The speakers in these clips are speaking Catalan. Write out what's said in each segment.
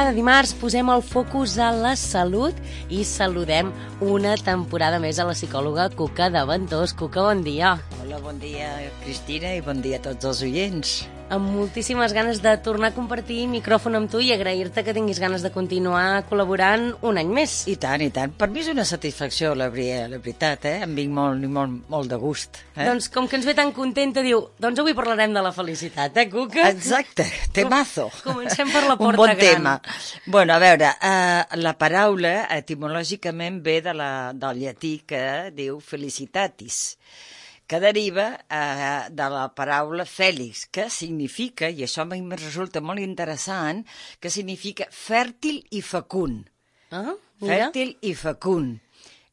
cada dimarts posem el focus a la salut i saludem una temporada més a la psicòloga Cuca de Ventós. Cuca, bon dia. Hola, bon dia, Cristina, i bon dia a tots els oients. Amb moltíssimes ganes de tornar a compartir micròfon amb tu i agrair-te que tinguis ganes de continuar col·laborant un any més. I tant, i tant. Per mi és una satisfacció, la veritat, Em vinc molt de gust. Doncs com que ens ve tan contenta, diu, doncs avui parlarem de la felicitat, Cuca? Exacte, temazo. Comencem per la porta un bon gran. tema. Bueno, a veure, la paraula etimològicament ve del llatí que diu felicitatis, que deriva de la paraula fèlix, que significa, i això a mi em resulta molt interessant, que significa fèrtil i fecund. Ah, mira. Fèrtil i fecund.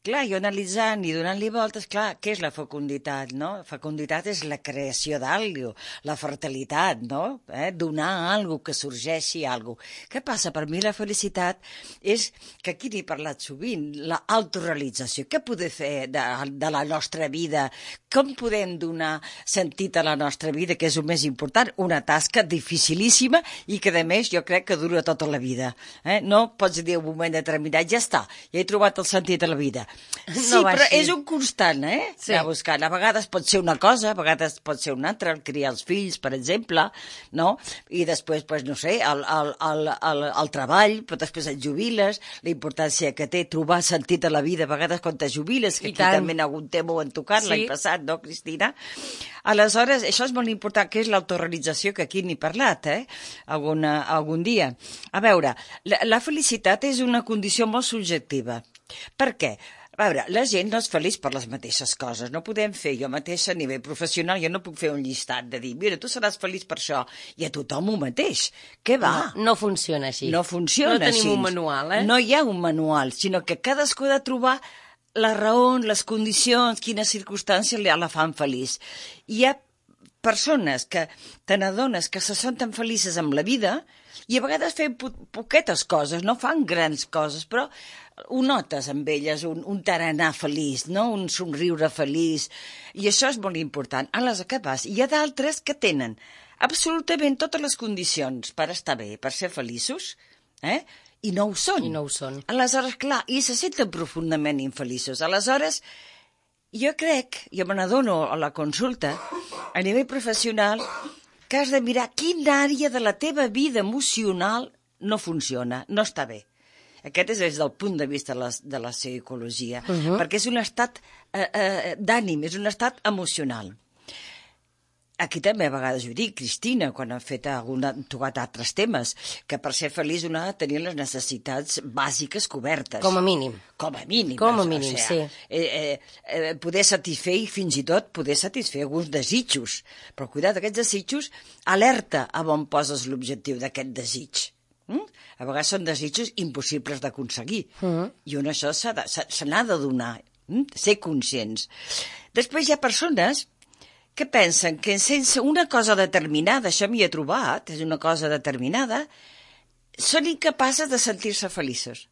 Clar, jo analitzant i donant-li voltes, clar, què és la fecunditat, no? Fecunditat és la creació d'algú, la fertilitat, no? Donar alguna que sorgeixi alguna. Què passa? Per mi la felicitat és, que aquí n'he parlat sovint, l'autorealització. Què podem fer de la nostra vida? Com podem donar sentit a la nostra vida, que és el més important? Una tasca dificilíssima i que, a més, jo crec que dura tota la vida. No pots dir un moment determinat, ja està, ja he trobat el sentit de la vida. Sí, no però així. És un constant, Sí. anar buscant. A vegades pot ser una cosa, a vegades pot ser una altra, el criar els fills, per exemple, no? I després, pues, no sé, el treball, però després et jubiles, la importància que té trobar sentit a la vida, a vegades quan te jubiles, que aquí també algun tema ho han tocat l'any passat, no, Cristina? Aleshores, això és molt important, que és l'autorealització, que aquí n'he parlat, algun dia. A veure, la felicitat és una condició molt subjectiva. Per què? A veure, la gent no és feliç per les mateixes coses. No podem fer, jo mateixa a nivell professional, jo no puc fer un llistat de dir, mira, tu seràs feliç per això, i a tothom el mateix. Què va? No funciona així. No funciona així. No tenim un manual, No hi ha un manual, sinó que cadascú ha de trobar la raó, les condicions, quines circumstàncies la fan feliç. Hi ha persones que te n'adones que se senten felices amb la vida i a vegades fem poquetes coses, no fan grans coses, però ho notes amb elles, un tarannà feliç, no? Un somriure feliç, i això és molt important. Aleshores, què passa? Hi ha d'altres que tenen absolutament totes les condicions per estar bé, per ser feliços, i no ho són. I no ho són. Aleshores, clar, i se senten profundament infeliços. Aleshores, jo crec, jo me n'adono a la consulta, a nivell professional, que has de mirar quina àrea de la teva vida emocional no funciona, no està bé. Aquest és des del punt de vista de la psicologia, perquè és un estat d'ànim, és un estat emocional. Aquí també a vegades ho dic, Cristina, quan hem tocat altres temes, que per ser feliç una ha de tenir les necessitats bàsiques cobertes. Com a mínim. Com a mínim. Com a mínim, sí. Poder satisfer i fins i tot poder satisfer alguns desitjos. Però cuida't, aquests desitjos, alerta a on poses l'objectiu d'aquest desig. A vegades són desitjos impossibles d'aconseguir. I on això se n'ha de donar, ser conscients. Després hi ha persones que pensen que sense una cosa determinada, això m'hi he trobat, és una cosa determinada, són incapaces de sentir-se feliços.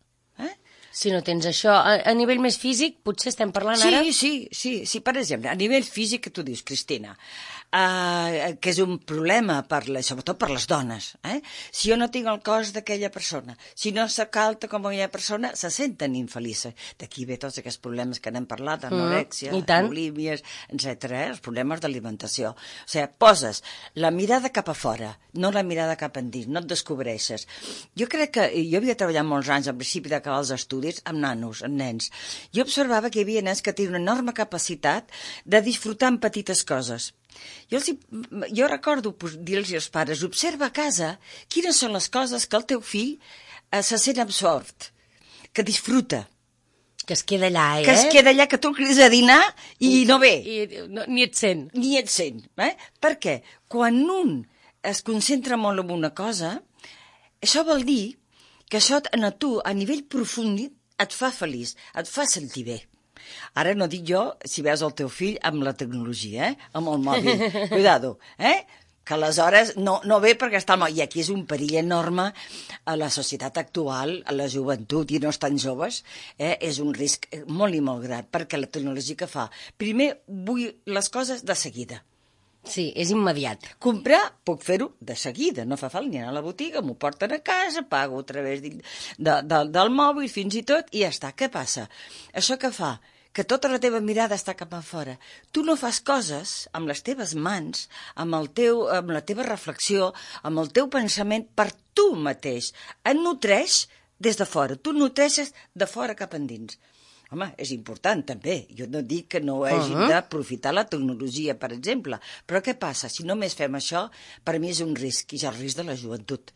Si no tens això a nivell més físic, potser estem parlant ara... Sí, per exemple, a nivell físic que tu dius, Cristina, que és un problema, sobretot per les dones. Si jo no tinc el cos d'aquella persona, si no s'acalta com aquella persona, se senten infelices. D'aquí ve tots aquests problemes que n'hem parlat, anorèxia, bulímies, etc., els problemes d'alimentació. O sigui, poses la mirada cap a fora, no la mirada cap endins, no et descobreixes. Jo crec que, jo havia treballat molts anys al principi d'acabar els estudis amb nanos, amb nens. Jo observava que hi havia nens que tenien una enorme capacitat de disfrutar en petites coses. Jo recordo dir-los als pares, observa a casa quines són les coses que el teu fill se sent absort, que disfruta. Que es queda allà, Que es queda allà, que tu el crides a dinar i no ve. Ni et sent. Ni et sent. Per què? Quan un es concentra molt en una cosa, això vol dir que això a tu, a nivell profund, et fa feliç, et fa sentir bé. Ara no dic jo si veus el teu fill amb la tecnologia, amb el mòbil. Cuidado, que aleshores no ve perquè està al mòbil. I aquí és un perill enorme a la societat actual, a la joventut i no estan joves. És un risc molt i molt gran, perquè la tecnologia que fa? Primer vull les coses de seguida. Sí, és immediat. Comprar, puc fer-ho de seguida, no fa falta ni anar a la botiga, m'ho porten a casa, pago a través del mòbil fins i tot, i ja està. Què passa? Això què fa? Que tota la teva mirada està cap a fora. Tu no fas coses amb les teves mans, amb la teva reflexió, amb el teu pensament per tu mateix. Et nutreix des de fora. Tu nutreixes de fora cap endins. Home, és important també. Jo no dic que no hagin d'aprofitar la tecnologia, per exemple. Però què passa? Si només fem això, per mi és un risc, i és el risc de la joventut.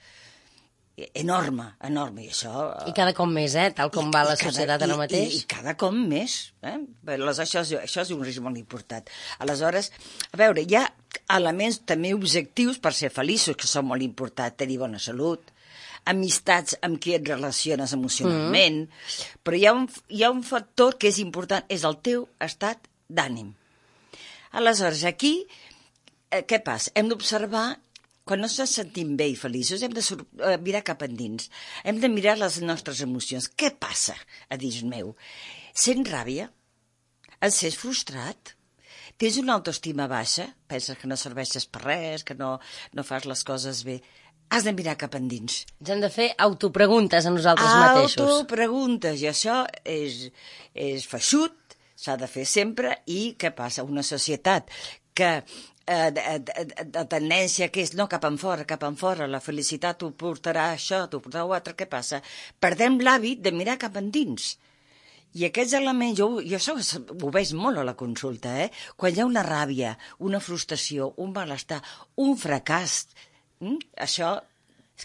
Enorme, enorme. I això... I cada cop més, tal com va la societat ara mateix. I cada cop més. Això és un risc molt important. Aleshores, a veure, hi ha elements també objectius per ser feliços, que són molt importants. Tenir bona salut, amistats amb qui et relaciones emocionalment, però hi ha un factor que és important, és el teu estat d'ànim. Aleshores, aquí, què passa? Hem d'observar, quan no ens sentim bé i feliços, hem de mirar cap endins. Hem de mirar les nostres emocions. Què passa a dins meu? Sents ràbia? Et sents frustrat? Tens una autoestima baixa? Penses que no serveixes per res, que no fas les coses bé? Has de mirar cap endins. Ens hem de fer autopreguntes a nosaltres mateixos. Autopreguntes, i això és feixut, s'ha de fer sempre, i què passa? Una societat que de tendència que és no cap enfora, la felicitat t'ho portarà això, t'ho portarà l'altre, què passa? Perdem l'hàbit de mirar cap endins. I aquests elements, jo això ho veig molt a la consulta, quan hi ha una ràbia, una frustració, un malestar, un fracàs, això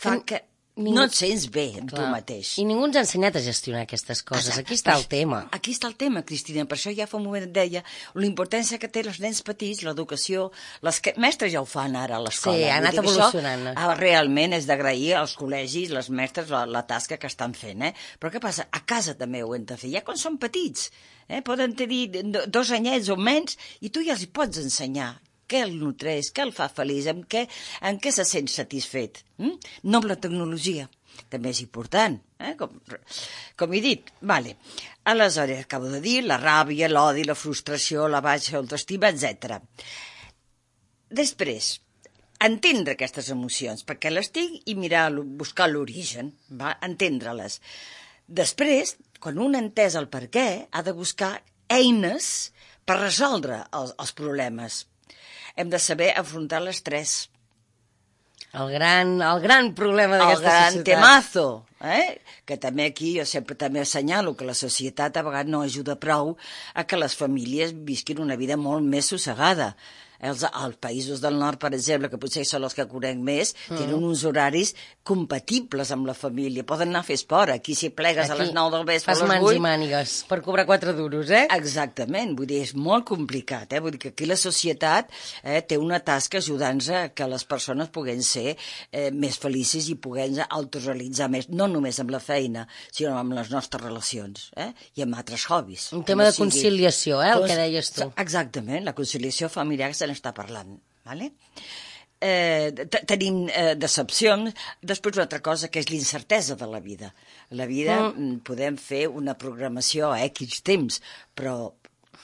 fa que no et sents bé amb tu mateix. I ningú ens ha ensenyat a gestionar aquestes coses. Exacte. Aquí està el tema. Aquí està el tema, Cristina. Per això ja fa un moment et deia la importància que té els nens petits, l'educació. Les mestres ja ho fan ara a l'escola. Sí, ha anat evolucionant. Realment és d'agrair als col·legis, les mestres, la tasca que estan fent. Però què passa? A casa també ho hem de fer. Ja quan són petits, poden tenir 2 anyets o menys, i tu ja els pots ensenyar què el nutreix, què el fa feliç, en què se sent satisfet. No amb la tecnologia, també és important, com he dit. Vale. Aleshores, acabo de dir, la ràbia, l'odi, la frustració, la baixa autoestima, etc. Després, entendre aquestes emocions, perquè les tinc, i buscar l'origen, entendre-les. Després, quan un ha entès el per què, ha de buscar eines per resoldre els problemes. Hem de saber afrontar l'estrès. El gran problema d'aquesta societat. El gran temazo, que també aquí jo sempre també assenyalo que la societat a vegades no ajuda prou a que les famílies visquin una vida molt més sossegada. Els països del nord, per exemple, que potser són els que conec més, tenen uns horaris compatibles amb la família. Poden anar a fer esport. Aquí si plegues a les 9 del vespre, a les 8... Fas mans i mànigues per cobrar 4 duros, Exactament. Vull dir, és molt complicat, Vull dir que aquí la societat té una tasca ajudant-nos a que les persones puguen ser més felices i puguen autorealitzar més, no només amb la feina, sinó amb les nostres relacions, i amb altres hobbies. Un tema de conciliació, el que deies tu. Exactament, la conciliació familiar que se n'està parlant. Tenim decepcions. Després una altra cosa que és l'incertesa de la vida. La vida podem fer una programació a X temps, però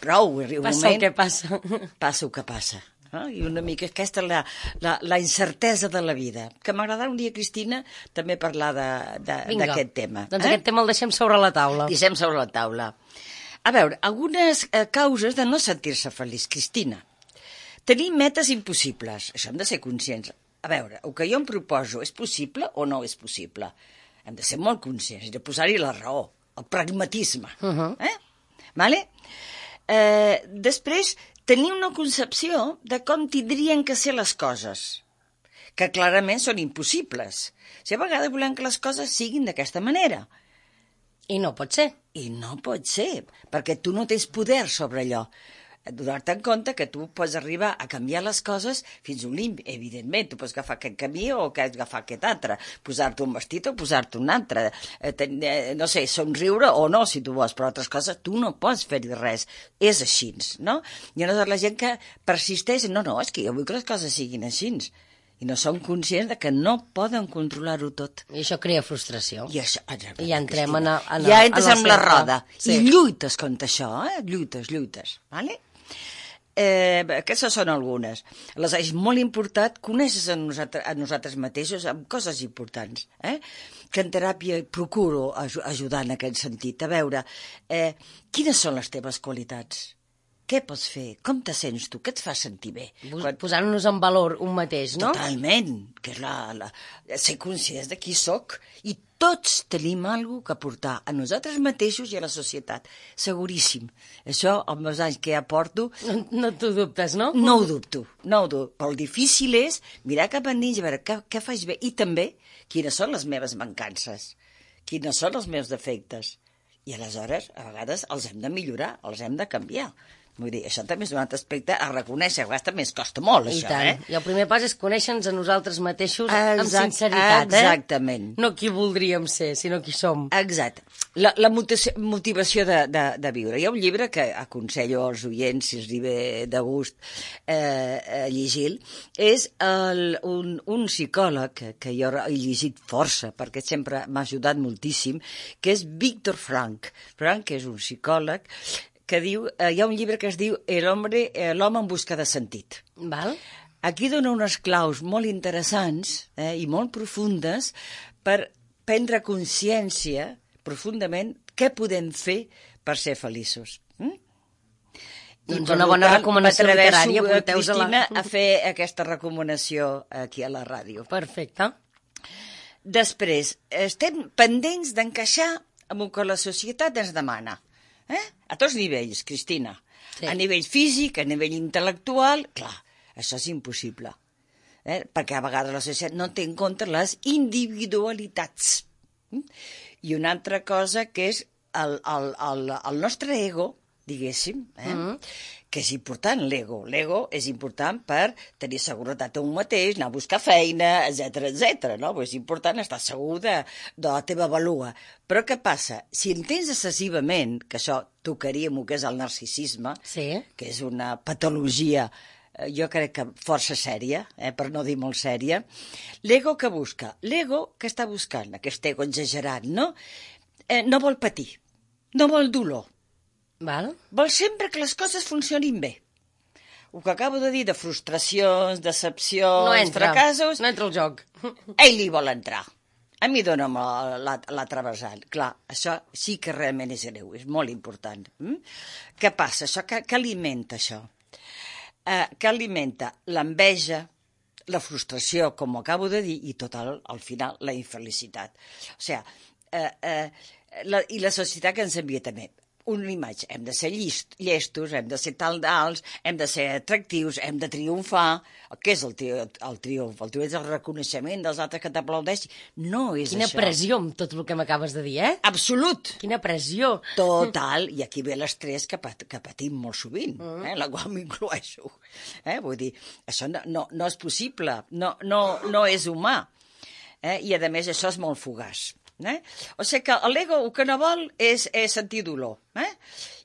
prou. Passa el que passa. Passa el que passa. I una mica aquesta és la incertesa de la vida. Que m'agradarà un dia, Cristina, també parlar d'aquest tema. Doncs aquest tema el deixem sobre la taula. Deixem sobre la taula. A veure, algunes causes de no sentir-se feliç, Cristina. Tenir metes impossibles. Això hem de ser conscients. A veure, el que jo em proposo és possible o no és possible? Hem de ser molt conscients i de posar-hi la raó, el pragmatisme. Vale? Després, tenir una concepció de com tindrien que ser les coses, que clarament són impossibles. Si a vegades volem que les coses siguin d'aquesta manera. I no pot ser. I no pot ser, perquè tu no tens poder sobre allò. Donar-te en compte que tu pots arribar a canviar les coses fins a un límit. Evidentment, tu pots agafar aquest camí o agafar aquest altre, posar-te un vestit o posar-te un altre, no sé, somriure o no, si tu vols, però altres coses tu no pots fer-hi res. És així, no? I aleshores la gent que persisteix, no, és que jo vull que les coses siguin així. I no són conscients de que no poden controlar-ho tot. I això crea frustració. I ja entrem ja entres en la roda. Sí. I lluites contra això, lluites, vale? aquestes són algunes. És molt important conèixer a nosaltres mateixos amb coses importants, que en teràpia procuro ajudar en aquest sentit, a veure quines són les teves qualitats. Què pots fer? Com te sents tu? Què et fa sentir bé? Posant-nos en valor un mateix, no? Totalment, que és ser conscients de qui sóc. I tots tenim alguna cosa a aportar a nosaltres mateixos i a la societat. Seguríssim. Això, amb els anys que ja porto... No t'ho dubtes, no? No ho dubto. Però el difícil és mirar cap endins i veure què faig bé. I també, quines són les meves mancances? Quines són els meus defectes? I aleshores, a vegades, els hem de millorar, els hem de canviar. Vull dir, això també és un altre aspecte a reconèixer, a vegades també ens costa molt, això, I el primer pas és conèixer-nos a nosaltres mateixos amb sinceritat, Exactament. No qui voldríem ser, sinó qui som. Exacte. La motivació de viure. Hi ha un llibre que aconsello als oients, si els ve de gust llegir, és un psicòleg que jo he llegit força, perquè sempre m'ha ajudat moltíssim, que és Viktor Frankl. Frankl és un psicòleg que diu, hi ha un llibre que es diu L'home en busca de sentit. Val. Aquí dona unes claus molt interessants i molt profundes per prendre consciència profundament què podem fer per ser feliços. Doncs una bona recomanació literària. Cristina, a fer aquesta recomanació aquí a la ràdio. Perfecte. Després, estem pendents d'encaixar amb el que la societat ens demana. A tots nivells, Cristina. Sí. A nivell físic, a nivell intel·lectual, clar, això és impossible. Perquè a vegades la societat no té en compte les individualitats. I una altra cosa que és el nostre ego, diguéssim, que és important, l'ego. L'ego és important per tenir seguretat a un mateix, anar a buscar feina, etc. No? És important estar segur de la teva valua. Però què passa? Si en tens excessivament, que això tocaria el que és el narcisisme, que és una patologia, jo crec que força sèria, per no dir molt sèria, l'ego que busca? L'ego que està buscant, aquest ego exagerat, no? No vol patir, no vol dolor. Val. Vol sempre que les coses funcionin bé. El que acabo de dir de frustracions, decepcions, fracassos... No entra el joc. Ell hi vol entrar. A mi dona'm l'altre vessant. Clar, això sí que realment és greu, és molt important. Què passa? Què alimenta això? Què alimenta? L'enveja, la frustració, com ho acabo de dir, i tot al final la infelicitat. O sigui, i la societat que ens envia també una imatge. Hem de ser llestos, hem de ser tal d'alts, hem de ser atractius, hem de triomfar. Què és el triomf? El triomf és el reconeixement dels altres que t'aplaudeixen. No és Quina això. Quina pressió amb tot el que m'acabes de dir, Absolut. Quina pressió. Total, i aquí ve l'estrès que patim molt sovint, la qual m'incloeixo. Vull dir, això no és possible, no és humà. I a més això és molt fugaç. O sigui que l'ego el que no vol és sentir dolor.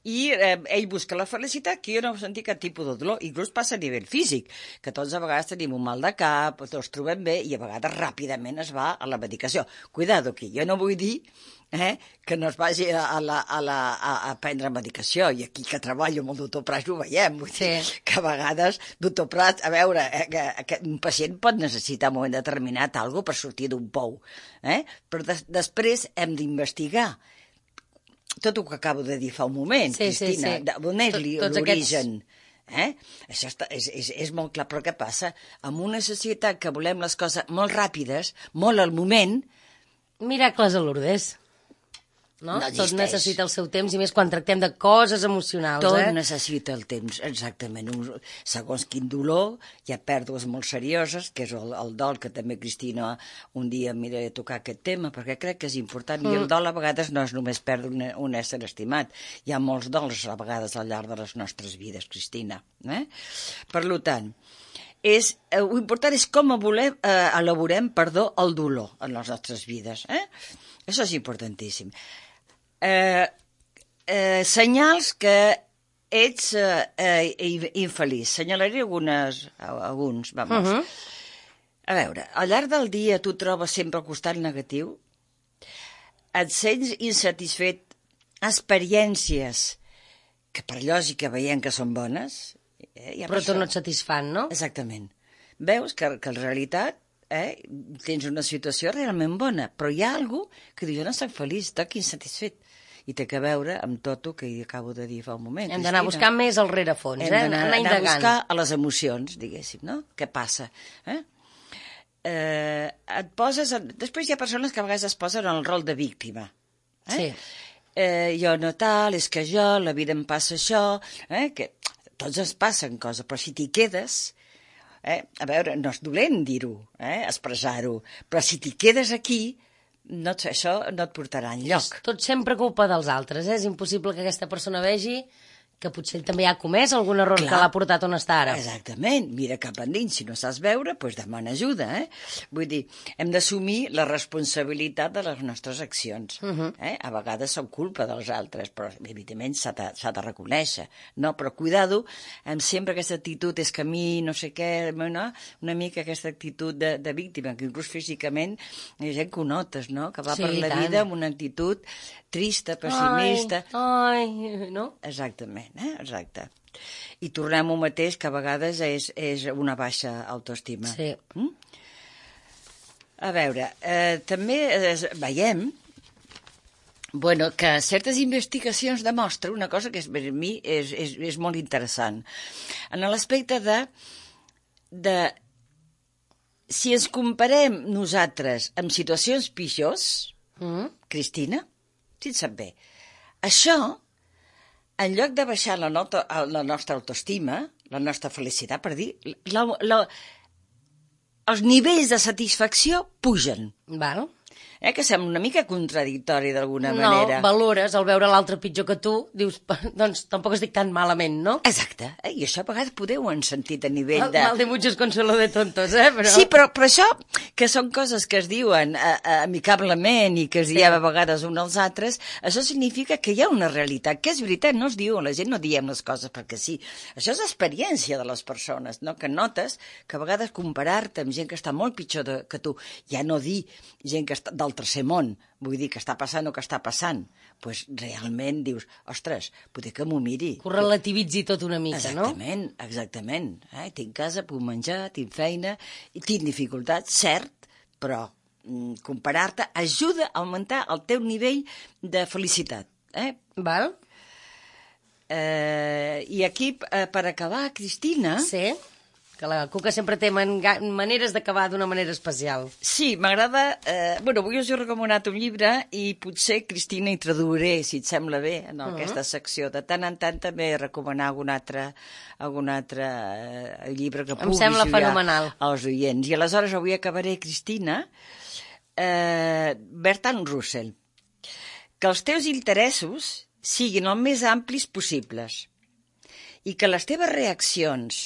I ell busca la felicitat, que jo no sentir cap tipus de dolor. Inclús passa a nivell físic, que tots a vegades tenim un mal de cap, tots trobem bé, i a vegades ràpidament es va a la medicació. Cuidado aquí, jo no vull dir que no es vagi a prendre medicació, i aquí que treballo amb el doctor Prat ho veiem, vull dir que a vegades, doctor Prat, a veure, que un pacient pot necessitar en un moment determinat alguna per sortir d'un pou, però després hem d'investigar tot el que acabo de dir fa un moment, Cristina, d'on és l'origen. Això és molt clar, però què passa? En una societat que volem les coses molt ràpides, molt al moment... Miracles a Lourdes. No? Tot necessita el seu temps, i més quan tractem de coses emocionals. Tot necessita el temps, exactament. Segons quin dolor, hi ha pèrdues molt serioses, que és el dol, que també, Cristina, un dia miraré a tocar aquest tema, perquè crec que és important. I el dol a vegades no és només perdre un ésser estimat. Hi ha molts dols a vegades al llarg de les nostres vides, Cristina. Per tant, l'important és com elaborem el dolor en les nostres vides. Això és importantíssim. Senyals que ets infeliç. Senyalaré alguns. Vamos. A veure, al llarg del dia tu trobes sempre el costat negatiu? Et sents insatisfet? Experiències que per lògica veiem que són bones Hi ha Però tu no et satisfan, no? Exactament. Veus que en realitat tens una situació realment bona, però hi ha algú que diu, jo no soc feliç, estic insatisfet. I té que veure amb tot el que acabo de dir fa un moment. Hem d'anar a buscar més al rerefons, Hem d'anar indagant. a buscar a les emocions, diguéssim, no? Què passa? Et poses... Després hi ha persones que a vegades es posen en el rol de víctima. Sí. Jo no tal, és que jo, la vida em passa això, que tots ens passen coses, però si t'hi quedes... A veure, no és dolent dir-ho, expressar-ho, però si t'hi quedes aquí, això no et portarà enlloc. Tot sempre culpa dels altres, És impossible que aquesta persona vegi que potser ell també ha comès algun error que l'ha portat on està ara. Exactament. Mira cap endins. Si no saps veure, doncs demana ajuda, Vull dir, hem d'assumir la responsabilitat de les nostres accions. A vegades són culpa dels altres, però evidentment s'ha de reconèixer. No, però cuidado amb sempre aquesta actitud, és que a mi no sé què, no? Una mica aquesta actitud de víctima, que inclús físicament hi ha gent que ho notes, no? Que va per la vida amb una actitud trista, pessimista. Ai, no? Exactament, exacte. I tornem al mateix, que a vegades és una baixa autoestima. Sí. A veure, també veiem que certes investigacions demostren una cosa que per mi és molt interessant. En l'aspecte de si ens comparem nosaltres amb situacions pitjors, Cristina, si et sap bé, això, en lloc de baixar la nostra autoestima, la nostra felicitat, per dir, els nivells de satisfacció pugen. Val. Que sembla una mica contradictori d'alguna manera. No, valores, al veure l'altre pitjor que tu, dius, doncs tampoc estic tan malament, no? Exacte, i això a vegades podeu en sentit a nivell de... Mal de muchos consuelo de tontos, Però... Sí, però això, que són coses que es diuen amicablement i que es diem a vegades uns als altres, això significa que hi ha una realitat, que és veritat, no es diu, la gent no diem les coses perquè sí. Això és experiència de les persones, no? Que notes que a vegades comparar-te amb gent que està molt pitjor que tu, ja no dir gent que està del tercer món, vull dir que està passant o que està passant, doncs realment dius, ostres, potser que m'ho miri. Que ho relativitzi tot una mica, exactament, no? Exactament. Tinc casa, puc menjar, tinc feina, tinc dificultats, cert, però comparar-te ajuda a augmentar el teu nivell de felicitat. Val? I aquí, per acabar, Cristina... Sí. Que la Cuca sempre té maneres d'acabar d'una manera especial. Sí, m'agrada... avui us he recomanat un llibre i potser, Cristina, hi traduiré, si et sembla bé, en aquesta secció. De tant en tant també recomanar algun altre llibre que pugui fenomenal als oients. I aleshores avui acabaré, Cristina, Bertrand Russell. Que els teus interessos siguin el més amplis possibles i que les teves reaccions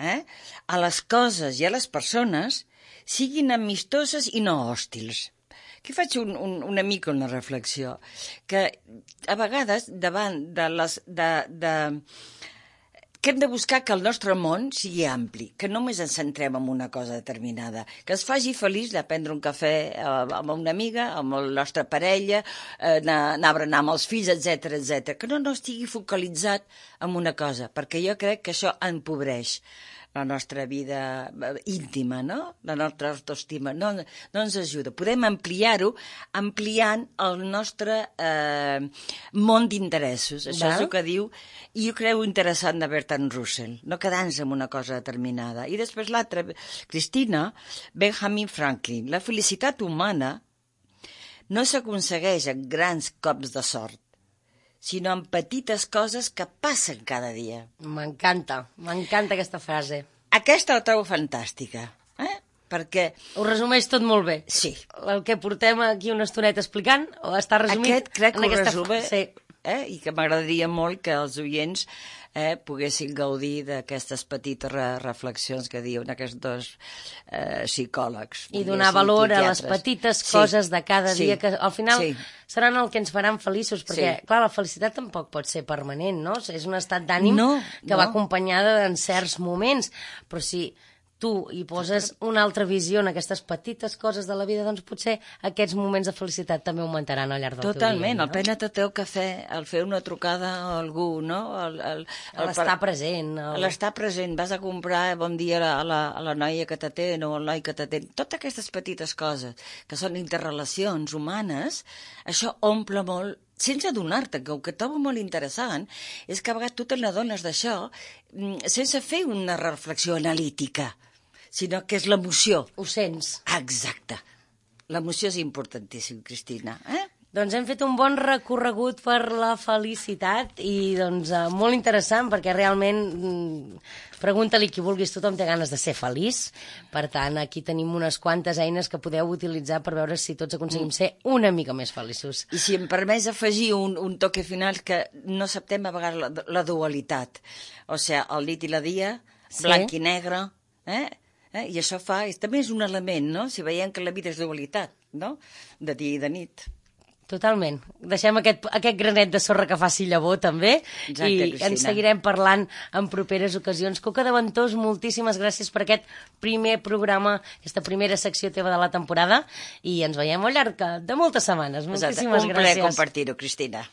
a les coses i a les persones siguin amistoses i no hòstils. Aquí faig una mica una reflexió, que a vegades davant que hem de buscar que el nostre món sigui ampli, que només ens centrem en una cosa determinada, que es faci feliç de prendre un cafè amb una amiga, amb la nostra parella, anar a berenar amb els fills, etc, que no estigui focalitzat en una cosa, perquè jo crec que això empobreix la nostra vida íntima, no? La nostra autoestima. No ens ajuda. Podem ampliar-ho ampliant el nostre món d'interessos. Això és el que diu, i jo creu interessant de Bertrand Russell, no quedar-nos en una cosa determinada. I després l'altra, Cristina, Benjamin Franklin. La felicitat humana no s'aconsegueix en grans cops de sort, sinó en petites coses que passen cada dia. M'encanta aquesta frase. Aquesta la trobo fantàstica, perquè... Ho resumeix tot molt bé. Sí. El que portem aquí una estoneta explicant, o està resumit... Aquest crec que ho resume, sí. I que m'agradaria molt que els oients poguessin gaudir d'aquestes petites reflexions que diuen aquests dos psicòlegs. I donar valor a les petites coses de cada dia, que al final seran el que ens faran feliços, perquè, clar, la felicitat tampoc pot ser permanent, no? És un estat d'ànim que va acompanyada en certs moments, però si tu hi poses una altra visió en aquestes petites coses de la vida, doncs potser aquests moments de felicitat també augmentaran al llarg del teu dia. Totalment, el prendre el teu cafè, el fer una trucada a algú, no? L'estar present. L'estar present, vas a comprar bon dia a la noia que t'atén o al noi que t'atén. Totes aquestes petites coses que són interrelacions humanes, això omple molt, sense adonar-te, que el que trobo molt interessant és que a vegades tu te n'adones d'això sense fer una reflexió analítica, sinó que és l'emoció. Ho sents. Exacte. L'emoció és importantíssim, Cristina. Doncs hem fet un bon recorregut per la felicitat i doncs molt interessant perquè realment pregunta-li qui vulguis, tothom té ganes de ser feliç. Per tant, aquí tenim unes quantes eines que podeu utilitzar per veure si tots aconseguim ser una mica més feliços. I si em permets afegir un toque final, que no acceptem a vegades la dualitat. O sigui, el nit i la dia, blanc i negre, i això també és un element, no? Si veiem que la vida és dualitat, no? De dia i de nit. Totalment. Deixem aquest granet de sorra que faci llavor, també. Exacte, i Cristina. ens seguirem parlant en properes ocasions. Cuca de Ventós, moltíssimes gràcies per aquest primer programa, aquesta primera secció teva de la temporada, i ens veiem al llarg de moltes setmanes. Moltíssimes gràcies. Un plaer compartir-ho, Cristina.